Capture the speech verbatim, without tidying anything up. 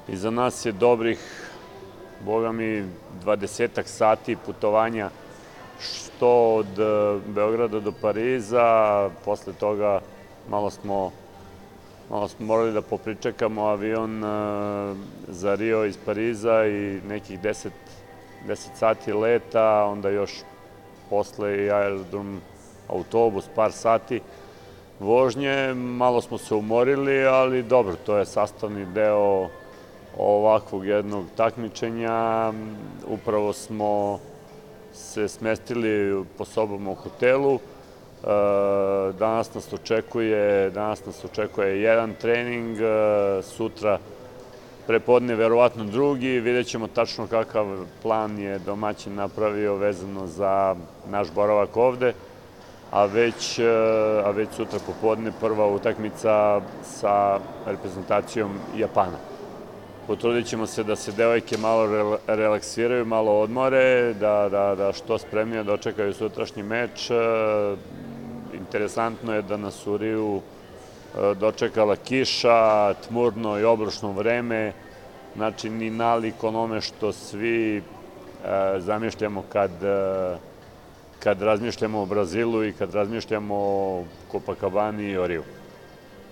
Iza nas je dobrih, boga mi, dvadesetak sati putovanja, što od Beograda do Pariza. Posle toga malo smo, malo smo morali da popričekamo avion za Rio iz Pariza i nekih deset sati leta, onda još posle i aerodrom, autobus, par sati vožnje. Malo smo se umorili, ali dobro, to je sastavni deo ovakvog jednog takmičenja. Upravo smo se smestili po sobama u hotelu. Danas nas očekuje, danas nas očekuje jedan trening, sutra prepodne verovatno drugi. Vidjet ćemo tačno kakav plan je domaćin napravio vezano za naš boravak ovde, a već, a već sutra popodne prva utakmica sa reprezentacijom Japana. Potrudit ćemo se da se devojke malo relaksiraju, malo odmore, da, da, da što spremnije dočekaju sutrašnji meč. Interesantno je da nas u Riju dočekala kiša, tmurno i obrušno vreme, znači ni nalik onome što svi zamišljamo kad, kad razmišljamo o Brazilu i kad razmišljamo o Copacabani i o Riju.